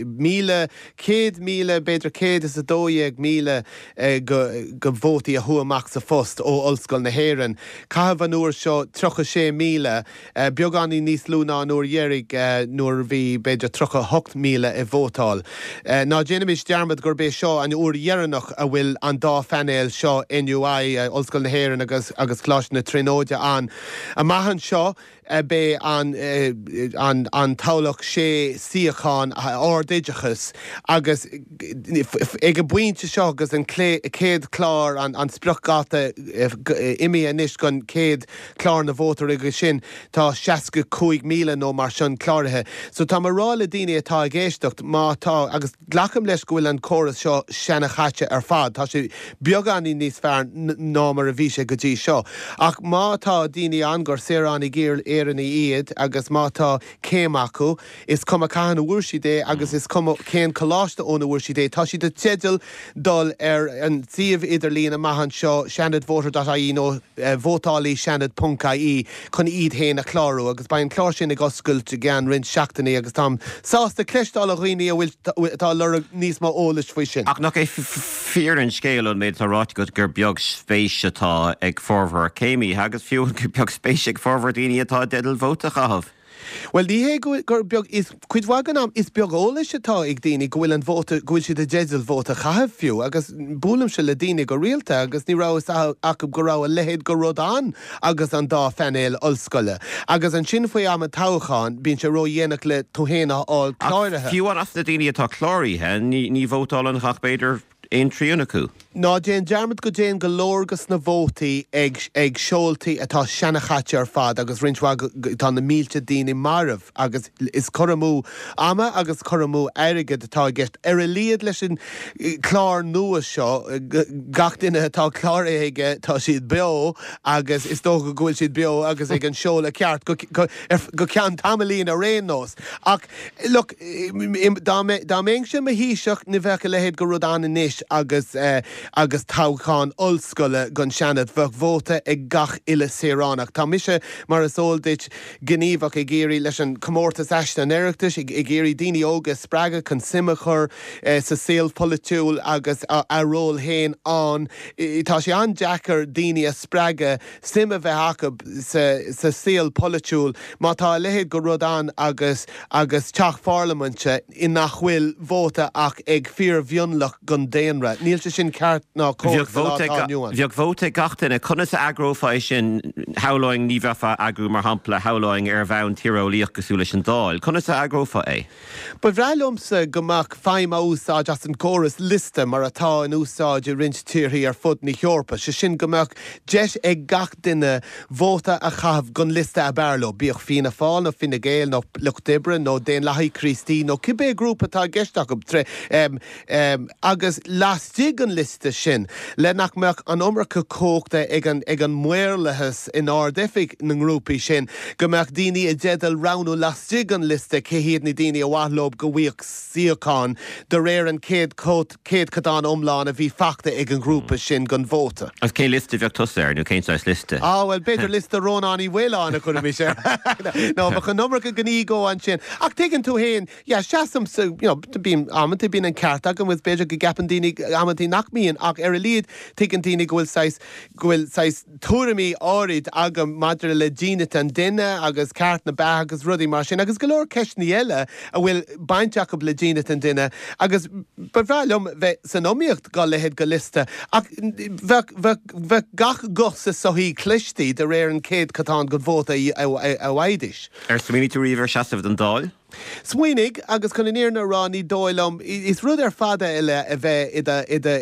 Míle, céad míle, b'fhéidir céad is a dó dhéag míle de vótaí a chuaigh amach sa phost ó Ollscoil na hÉireann. Caitheadh an uair seo tríocha sé míle, beagáinín níos lú ná an uair dheiridh nuair a bhí b'fhéidir tríocha a hocht míle ag vótáil. Ná déanaimis dearmad gurb é seo an uair dheireanach a bhfuil an dá phainéal seo, NUI, Ollscoil na hÉireann agus agus Coláiste na Tríonóide ann. Amach anseo beidh an an an toghlach sé suíochán ardoideachais agus ag an bpointe seo agus an chéad chlár an an spriocdháta imithe anois don chéad chlár na vótóirí agus sin tá seasca cúig míle nó mar sin cláraithe. So tá mé ag rá le daoine atá ag éisteacht má tá agus glacaim leis go bhfuil an córas seo seanchaite ar fad, tá sé beagáinín níos fearr ná mar a bhí sé go dtí seo. Ach má tá daoine ann gur saoránaigh Éireannaigh iad agus má tá céim acu, is cuma cathain a bhfuair siad é agus is cuma cén coláiste óna bhfuair siad é, tá siad i dteideal dul ar an suíomh idirlín amach anseo, seanadvoter dot ie nó vótálaí seanad ponc ie, chun iad féin a chlárú agus beidh an clár sin ag oscailt i gceann roinnt seachtainí agus táim sásta cloisteáil ó dhaoine a bhfuil atá ag lorg níos mó eolais faoi sin. Ach nach é fíor an scéal ón méid atá ráite agat gur beag spéis atá ag formhór céimithe agus fiú gur beag spéis ag formhór daoine atá i dteideal vóta a chaitheamh? Bhuel, ní hé gur beag, is cuid mhaith den am, is beag eolais atá ag daoine go bhfuil an vóta, go bhfuil siad i dteideal vóta a chaitheamh fiú, agus buailimse le daoine go rialta agus ní raibh fhios acu go raibh a leithéid de rud ann agus an dá phainéal ollscoile. Agus ansin faoi am an toghcháin, bíonn sé ródhéanach le tú féin a fháil cláraithe. Ach fiú amháin as na daoine atá cláraithe, ní, ní vótálann ach b'fhéidir aon trian acu. Ná déan dearmad go dtéann go leor dos na vótaí ag ag seoltaí atá seanachaite ar fad agus roinnt mhaith tá na mílte daoine marbh agus is cur amú ama agus cur amú airgid atá i gceist. Ar a laghad leis an clár nua seo gach duine atá cláraithe aige tá siad beo agus is dócha go bhfuil siad beo agus ag an seoladh ceart go go ceann tamaillín ar aon nós. Ach look dá mbeinnse i mo Thaoiseach ní bheadh a leithéid de rud ann anois agus agus toghchán ollscoile don Seanad, bheadh vóta ag gach uile saoránach. Tá mise, mar is eol duit, gníomhach ag iarraidh, leis an Comórtas Aiste an Oireachtais, ag iarraidh daoine óga a spreagadh chun suim a chur sa saol polaitiúil agus a ról féin ann. Tá sé an-deacair daoine a spreagadh suim a bheith acu sa saol polaitiúil má tá a leithéid de rud ann agus agus teach pharlaiminte i nach bhfuil vóta ach ag fíormhionlach den daonra. Níl sé sin ceart ná cóir sa lá atá inniu ann. Bheadh vóta ag gach duine. Conas a eagrófá é sin? Shamhlóinn, ní bheifeá ag eagrú, mar shampla, shamhlóinn, ar bhonn tíreolaíoch cosúil leis an Dáil. Conas a eagrófá é? Ba bhreá liomsa go mbeadh feidhm á úsáid as an gcóras liosta mar atá in úsáid i roinnt tíorthaí ar fud na hEorpa, sé sin go mbeadh deis ag gach duine vóta a chaitheamh don liosta ab fhearr leo, bíodh Fianna Fáil nó Fine Gael nó Lucht Oibre nó Daonlathaigh Críostaí nó cibé grúpa atá i gceist acu, agus laistigh den liosta sin, le nach mbeadh an iomarca cumhachta ag an ag an maorlathas in Ard-Oifig na ngrúpaí sin, go mbeadh daoine i dteideal roghnú laistigh den liosta cé hiad na daoine a mhaith leo go bhfaigheadh suíochán de réir an chéad céadchodán iomlán a bhí faighte ag an ngrúpa sin den vóta. Agus cén liosta a bheadh tusa air, nó cén saghas liosta? Á, bhuel, b'fhéidir liosta Rónáin Uí Mhaoláin a chuirfimis air. Nó bheadh an iomarca den ego ansin. Ach tuigeann tú fhéin, yeah, seasaimse, you know, bíonn, amantaí bíonn an ceart agam agus b'fhéidir go gceapann daoine amantaí nach mbíonn ach ar a laghad tuigeann daoine go bhfuil saghas, go bhfuil saghas tuairimí áirid agam maidir le dínit an duine agus ceart na beatha agus rudaí mar sin agus go leor ceisteanna eile a bhfuil baint acu le dínit an duine agus ba bhreá liom bheith san iomaíocht dá leithéid de liosta ach bheadh, bheadh, bheadh gach guth sa tsochaí cloiste de réir an chéadchodán den vóta a bhfaighidís. Ar smaoinigh tú riamh ar seasamh don Dáil? Smaoinigh, agus chun an fhírinne a rá, ní dóigh liom, is rud ar fad eile a bheith i do, i do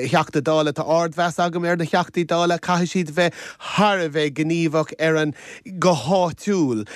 Theachta Dála. Tá ardmheas agam ar na Theachtaí Dála. Caithfidh siad bheith thar a bheith gníomhach ar an, go háitiúil.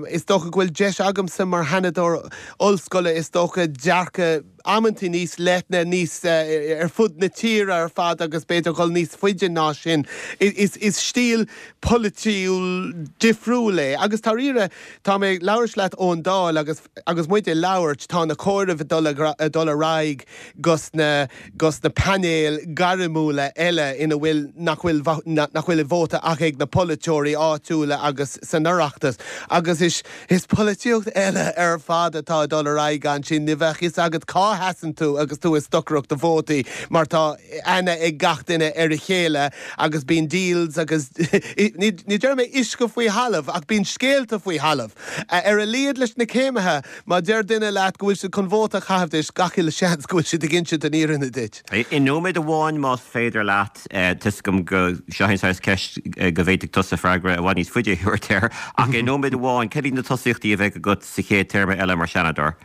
Is dócha go bhfuil deis agamsa mar Sheanadóir ollscoile, is dócha, dearcadh amantaí níos leithne, níos, ar fud na tíre ar fad agus b'fhéidir dhul níos faide ná sin. Is, is stíl polaitiúil difriúil é. Agus dáiríre, tá mé ag labhairt leat ón Dáil agus, agus muid ag labhairt, tá na comhairimh ag dul, ag dul ar aghaidh dos na, dos na painéil gairmiúla eile ina bhfuil, nach bhfuil, nach bhfuil vóta ach ag na polaiteoirí áitiúla agus san Oireachtas. Agus is, is polaitíocht eile ar fad atá ag dul ar aghaidh ansin. Ní bheadh fhios agat cá sheasann tú agus tú ag stocaireacht do vótaí mar tá aithne ag gach duine ar a chéile agus bíonn deals agus ní déarfaidh mé uisce faoi thalamh ach bíonn scéalta faoi thalamh. Ar a laghad leis na céimithe, má deir duine leat go bhfuil siad chun vóta a chaitheamh duit, gach uile seans go bhfuil siad ag insint an fhírinne duit. I nóiméad amháin más féidir leat, tá 'fhios agam go seo an saghas ceist go bhféadfadh tusa freagra i bhfad níos faide a thabhairt air, ach i nóiméad amháin, cad iad na tosaíochtaí a bheidh agat sa chéad téarma eile mar Sheanadóir?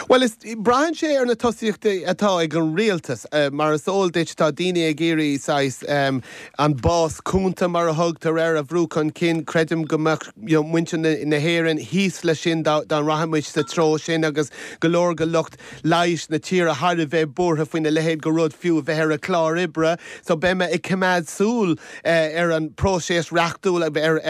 Bhuel, is, braitheann sé sé ar na tosaíochtaí atá ag an rialtas, mar is eol duit tá daoine ag iarraidh saghas an bás cúnta mar a thugtar air a bhrú chun cinn. Creidim go mbeadh muintir na hÉireann thíos leis sin dá rachadh muid sa treo sin agus go leor de lucht leighis na tíre thar a bheith buartha faoina leithéid de rud fiú a bheith ar an chlár oibre. So beidh mé ag coimeád súil ar an próiseas reachtúil ar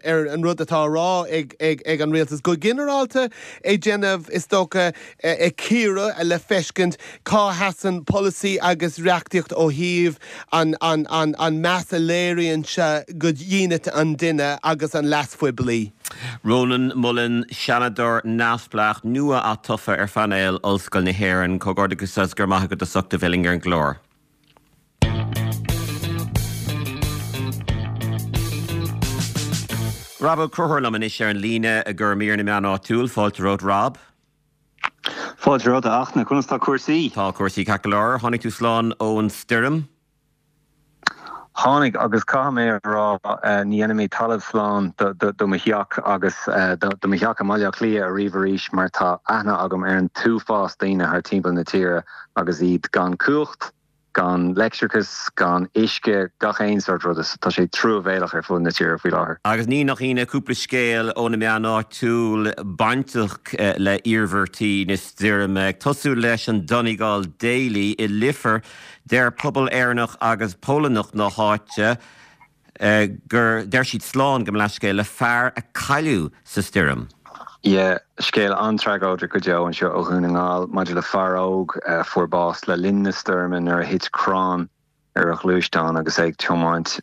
ar an rud atá á rá ag an rialtas go ginearálta ag déanamh is dócha ag cíoradh le feiscint cá sheasann polasaí agus reachtaíocht ó thaobh an an an an meas a léiríonn sé go dhínit an duine agus an leas phoiblí. Rónán Mullen, Seanadóir neamhspleách nua-atofa ar phainéal Ollscoil na hÉireann, comhghairdeachas agus go raibh maith agat as ucht a bheith linn ar an gclár. Rob Ó Conchúir liom anois ar an líne i gcomhair mír na meán áitiúil. Fáilte romhat Rob. Fáilte romhat a Fhachtna, conas tá cúrsaí? Tá cúrsaí ceart go leor. Tháinig tú slán ón stoirm? Tháinig agus caithfidh mé a rá ní dhéanfaidh mé talamh slán do mo theach agus do mo theach i mBaile Átha Cliath ariamh arís mar tá aithne agam ar an t-uafás daoine thar timpeall na tíre agus iad gan cumhacht, gan leictreachas, gan uisce, gach aon sórt ruda. Tá sé truamhéalach ar fud na tíre faoi láthair. Agus ní nach ionadh, cúpla scéal ó na meáin áitiúil bainteach le hiarmhairtí na stoirme. Ag tosú leis an Donegal Daily i Leifear, deir pobal Éireannach agus Polannach na háite gur, deir siad slán, gabh mo leithscéal, le fear a cailleadh sa stoirm. Yeah, scéal an-tragóideach go deo anseo ó Dhún na nGall maidir le fear óg a fuair bás le linn na stoirme nuair a thit crann ar a ghluaisteán agus é ag tiomáint.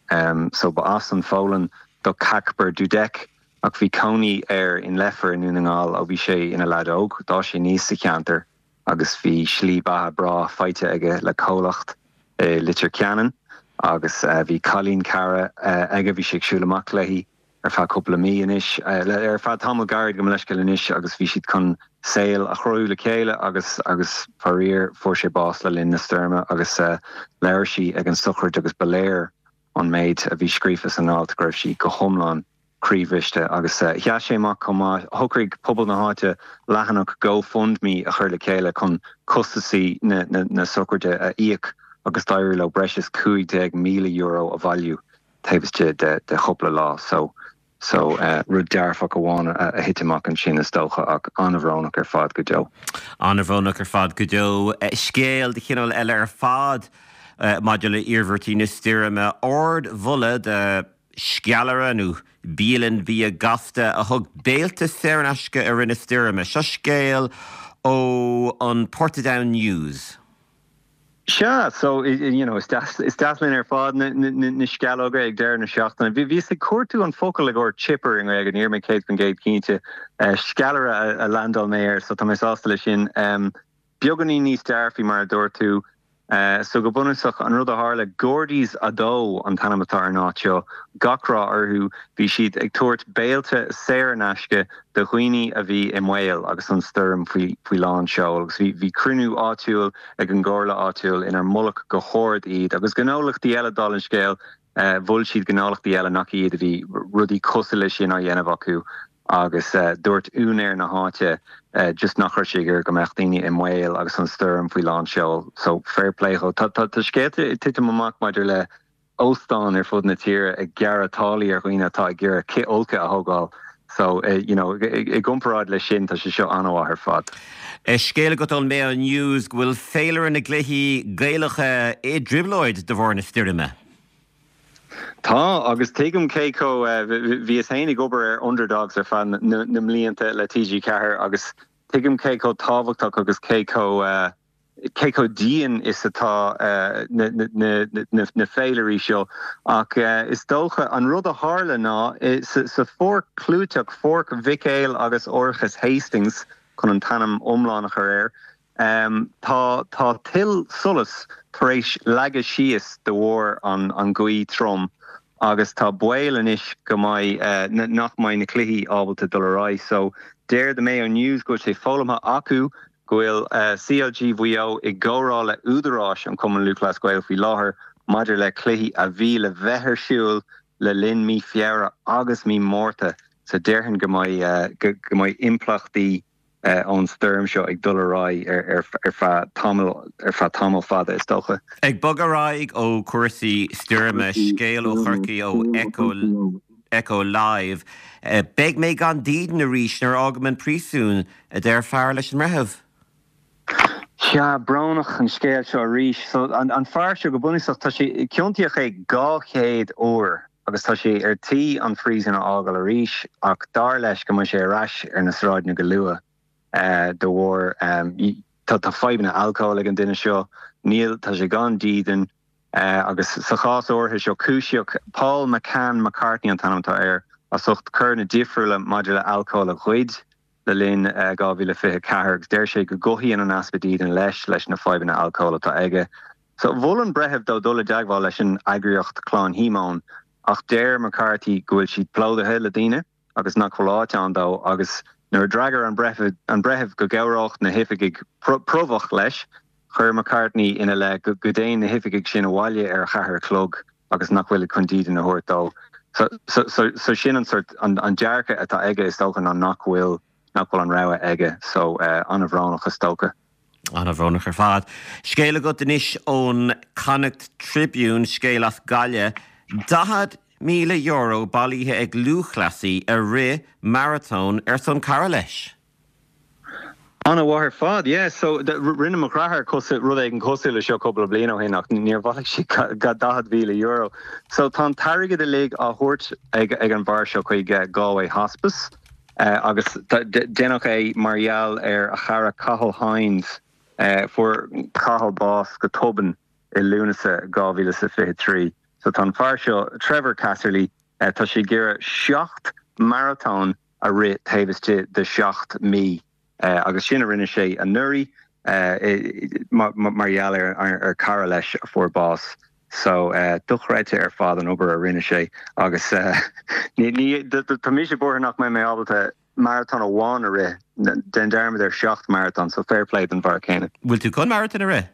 So ba as an Pholainn do Kacper Dudek ach bhí cónaí air in Leifear i nDún na nGall ó bhí sé ina leaid óg. D'fhás sé aníos sa cheantar agus bhí slí beatha breá faighte aige le comhlacht i Leitir Ceanainn agus bhí cailín cara aige, bhí sé ag siúl amach léi ar feadh cúpla mí anois, ar feadh tamall gairid gabh mo leithscéal anois agus bhí siad chun saol a chruthú le chéile agus agus faraor fuair sé bás le linn na stoirme agus labhair sí ag an sochraid agus ba léir ón méid a bhí scríofa san alt go raibh sí go hiomlán croíbhriste agus sheas sé amach chomh maith. Shocraigh pobal na háite leathanach GoFundMe a chur le chéile chun costasaí na na sochraide a íoc agus d'éirigh leo breis is cúig déag míle euro a bhailiú taobh istigh de de chúpla lá. So so rud dearfach amháin a thit amach ansin is dócha ach an-bhrónach ar fad go deo. An-bhrónach ar fad go deo. Scéal de chineál eile ar fad maidir le hiarmhairtí na stoirme. Ardmholadh do sceallaire nó bialann bia gasta a thug béilte saor in aisce i rith na stoirme. Seo scéal ó an Portadown News. Sea, so, you know, is deas, is deas linn ar fad na, na, na sceallóga ag deireadh na seachtaine. Bhí, bhíos ag cuartú an focal i gcomhair chipper i nGaeilge, ní raibh mé céad faoin gcéad cinnte. Sceallaire a, a landáil mé air, so tá mé sásta leis sin. Beagáinín níos dearfaí mar a dúirt tú. So go bunúsach, an rud a tharla, Gordy's a dó an t-ainm atá ar an áit seo, gach rath orthu, bhí siad ag tabhairt béilte saor in aisce do dhaoine a bhí i mbaol agus an stoirm faoi faoi lán seoil agus bhí bhí cruinniú áitiúil ag an gcomhairle áitiúil inar moladh go hard iad agus gnólachtaí eile dála an scéil mhol siad gnólachtaí eile nach iad a bhí rudaí cosúil leis sin á dhéanamh acu agus dúirt úinéir na háite just nach raibh sé ag iarraidh go mbeadh daoine i mbaol agus an stoirm faoi lán seoil. So fair play dhó. Tá tá scéalta ag titim amach maidir le óstáin ar fud na tíre ag gearradh táillí ar dhaoine atá ag iarraidh cithfholcadh a thógáil. So you know i gcomparáid leis sin tá sé seo an-mhaith ar fad. Scéal agat ón Mayo News go bhfuil féilire na gcluichí Gaelacha i dtrioblóid de bharr na stoirme. Tá, agus tuigim cé chomh, bhíos féin ag obair ar Underdogs ar feadh na mblianta le T G ceathair agus tuigim cé chomh tábhachtach agus cé chomh, cé chomh dian is atá na féilirí seo. Ach is dócha, an rud a tharla ná, sa pháirc chlúiteach, Pháirc Mhic Éil agus Árachas Hastings chun an t-ainm iomlán a chur air, Tá tá tuill solais tar éis leagadh síos de bharr an an ghaoth trom agus tá baol anois go mbeidh nach mbeidh na cluichí ábalta dul ar aghaidh. So deir The Mayo News go bhfuil sé foghlamtha acu go bhfuil C L G Mhaigh Eo i gcomhrá le údaráis an Chumann Lúthchleas Gael faoi láthair maidir le cluichí a bhí le bheith ar siúl le linn mí Feabhra agus mí Márta. So déarfainn go mbeidh go mbeidh impleachtaí ón stoirm seo ag dul ar aghaidh ar feadh tamall ar feadh tamall fada is dócha. Ag bogadh ar aghaidh ó chúrsaí stoirme, scéal ó Chorcaigh ó Echo Echo Live. Beidh mé gan dídean arís nuair a fhágaim an príosún, a deir fear leis an mbreitheamh. Sea, brónach an scéal seo arís. So an an fear seo go bunúsach tá sé ciontaíodh é dhá chéad uair agus tá sé ar tí an phríosún a fhágáil arís ach dar leis go mbeidh sé ar ais ar na sráideanna go luath de bharr tá tá fadhbanna alcóil ag an duine seo, níl tá sé gan dídean agus sa chás áirithe seo cúisíodh Paul McCann McCartney an t-ainm atá air as ucht coireanna difriúla maidir le alcól a ghoid le linn dhá mhíle fiche ceathair agus deir sé go gcothaíonn an easpa dídine leis leis na fadhbanna alcóil atá aige. So mhol an breitheamh dó dul i dteagmháil leis an eagraíocht Clann Shíomóin ach deir McCarthy go bhfuil siad plódaithe le daoine agus nach bhfuil áit ann dó agus nuair a d'fhreagair an breitheamh an breitheamh go gcabhródh na hoifigigh promhadh leis, chuir McCartney ina leith go go dtéann na hoifigigh sin abhaile ar a ceathair a chlog agus nach bhfuilid chun dídean a thabhairt dó. So so so so sin an sort an an dearcadh atá aige is dócha ná nach bhfuil nach bhfuil an rogha aige so an-bhrónach is dócha. An-bhrónach ar fad. Scéal agat anois ón Connacht Tribune, scéal as Gaillimh. daichead míle euro bailithe ag lúthchleasaí a rith maratón ar son cara leis. An-mhaith ar fad, yeah. So rinne mo dheartháir rud éigin cosúil le seo cúpla bliain ó shin ach níor bhailigh sé daichead mhíle euro. So tá an t-airgead uilig á thabhairt ag ag an bhfear seo chuig Galway Hospice agus deineadh é mar gheall ar a chara Cathal Hynes. Fuair Cathal bás go tobann i Lúnasa dhá mhíle is a fiche trí. So tá an fear seo, Trevor Casserly, tá sé ag iarraidh seacht maratón a rith taobh istigh de sheacht mí agus sin a rinne sé anuraidh mar gheall ar chara leis a fuair bás. So dochreidte ar fad an obair a rinne sé agus tá mise buartha nach mbeidh mé ábalta maratón amháin a rith, déan dearmad ar seacht maratón, so fair play don bhfear céanna. Bhfuil tú chun maratón a rith?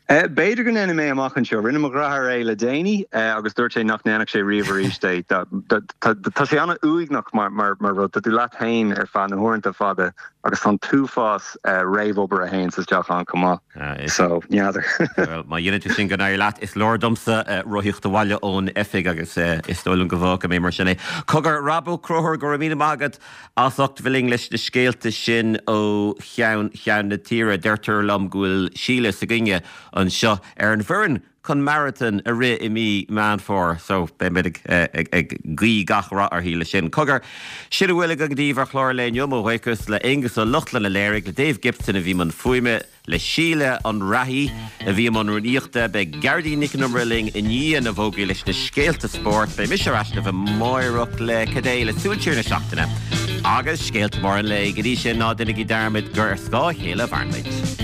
B'fhéidir go ndéanfaidh mé amach anseo. Rinne mo dheartháir é le déanaí agus dúirt sé nach ndéanfadh sé riamh arís é. Tá sé an-uaigneach mar rud. Tá tú leat féin ar feadh na huaireanta fada agus tá an t-uafás réamhobair a théanns isteach ann chomh maith. So, n'fheadar. Bhuel, má dhéanann tú sin go n-éirí leat. Is leor domsa rothaíocht abhaile ón oifig agus is dóigh liom go bhfágfaidh mé mar sin é. Cogar, Rob Ó Conchúir, go raibh míle maith agat as ucht bheith linn leis na scéalta sin ó cheann ceann na tíre. Deirtear liom go bhfuil Síle s'againne anseo ar an bhfoireann chun maratón a rith i mí Meán Fómhair so beidh muid ag ag guí gach rath uirthi leis sin. Cogar, sin a bhfuil againn daoibh ar chlár an lae inniu, mo bhuíochas le Aonghus Ó Lochlainn a léirigh, le Dave Gibson a bhí i mbun fuaime, le Síle an Reathaí a bhí i mbun rúnaíochta. Beidh Gearóidín Nic an Iomaire linn i ndiaidh na bhfógraí leis na scéalta spóirt. Beidh mise ar ais libh amárach le cad é le súil siar na seachtaine agus scéalta móra an lae. Go dtí sin, ná déanaigí dearmad gur ar scáth a chéile a mhaireann muid.